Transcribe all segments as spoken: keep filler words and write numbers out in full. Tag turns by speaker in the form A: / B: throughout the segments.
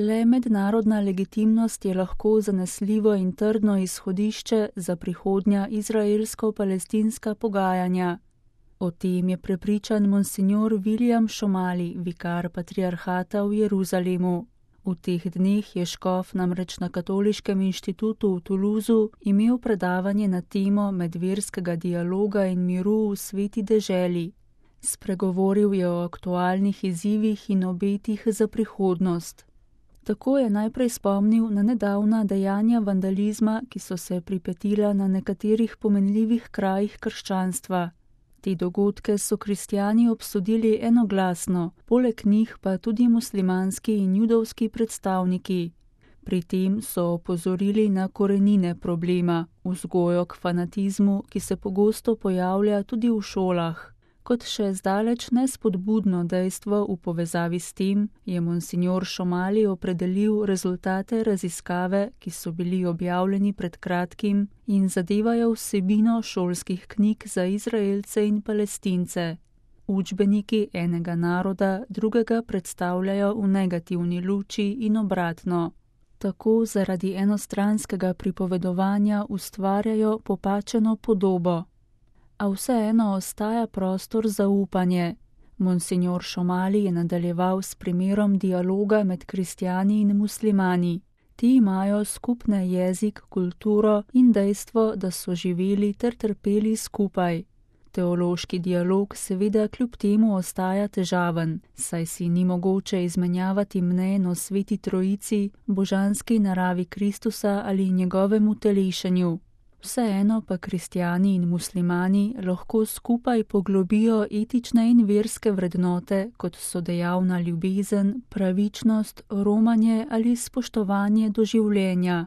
A: Le mednarodna legitimnost je lahko zanesljivo in trdno izhodišče za prihodnja izraelsko-palestinska pogajanja. O tem je prepričan monsignor William Šomali, vikar patriarhata v Jeruzalemu. V teh dneh je škof namreč na Katoliškem inštitutu v Toulouseu imel predavanje na temo medverskega dialoga in miru v sveti deželi. Spregovoril je o aktualnih izzivih in obetih za prihodnost. Tako je najprej spomnil na nedavna dejanja vandalizma, ki so se pripetila na nekaterih pomenljivih krajih krščanstva. Te dogodke so kristjani obsodili enoglasno, poleg njih pa tudi muslimanski in judovski predstavniki. Pri tem so opozorili na korenine problema, vzgojo k fanatizmu, ki se pogosto pojavlja tudi v šolah. Kot še zdaleč nespodbudno dejstvo v povezavi s tem, je monsignor Šomali opredelil rezultate raziskave, ki so bili objavljeni pred kratkim in zadevajo vsebino šolskih knjig za Izraelce in Palestince. Učbeniki enega naroda drugega predstavljajo v negativni luči in obratno. Tako zaradi enostranskega pripovedovanja ustvarjajo popačeno podobo. A vseeno ostaja prostor za upanje. Monsignor Šomali je nadaljeval s primerom dialoga med kristjani in muslimani. Ti imajo skupne jezik, kulturo in dejstvo, da so živeli ter trpeli skupaj. Teološki dialog seveda kljub temu ostaja težaven, saj si ni mogoče izmenjavati mnenj o sveti trojici, božanski naravi Kristusa ali njegovem utelešenju. Vseeno pa kristjani in muslimani lahko skupaj poglobijo etične in verske vrednote, kot so dejavna ljubezen, pravičnost, romanje ali spoštovanje do življenja.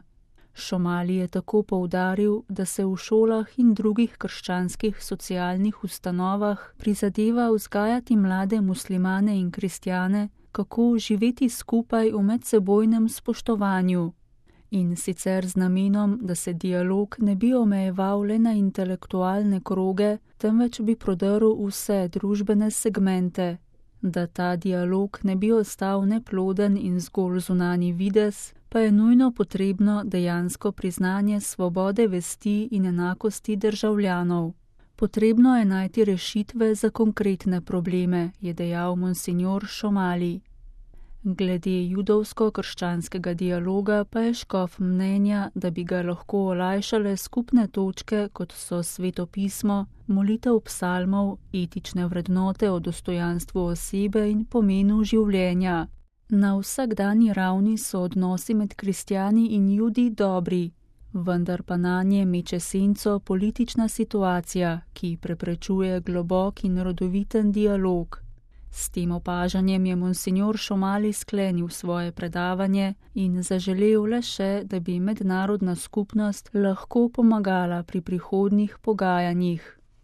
A: Šomali je tako poudaril, da se v šolah in drugih krščanskih socialnih ustanovah prizadeva vzgajati mlade muslimane in kristjane, kako živeti skupaj v medsebojnem spoštovanju. In sicer z namenom, da se dialog ne bi omejeval le na intelektualne kroge, temveč bi prodrl vse družbene segmente. Da ta dialog ne bi ostal neploden in zgolj zunanji videz, pa je nujno potrebno dejansko priznanje svobode vesti in enakosti državljanov. Potrebno je najti rešitve za konkretne probleme, je dejal monsignor Šomali. Glede judovsko-krščanskega dialoga pa je škof mnenja, da bi ga lahko olajšale skupne točke, kot so sveto pismo, molitev psalmov, etične vrednote o dostojanstvu osebe in pomenu življenja. Na vsakdanji ravni so odnosi med kristjani in judi dobri, vendar pa nanje meče senco politična situacija, ki preprečuje globok in rodoviten dialog. S tem opažanjem je monsignor Šomali sklenil svoje predavanje in zaželel le še, da bi mednarodna skupnost lahko pomagala pri prihodnjih pogajanjih.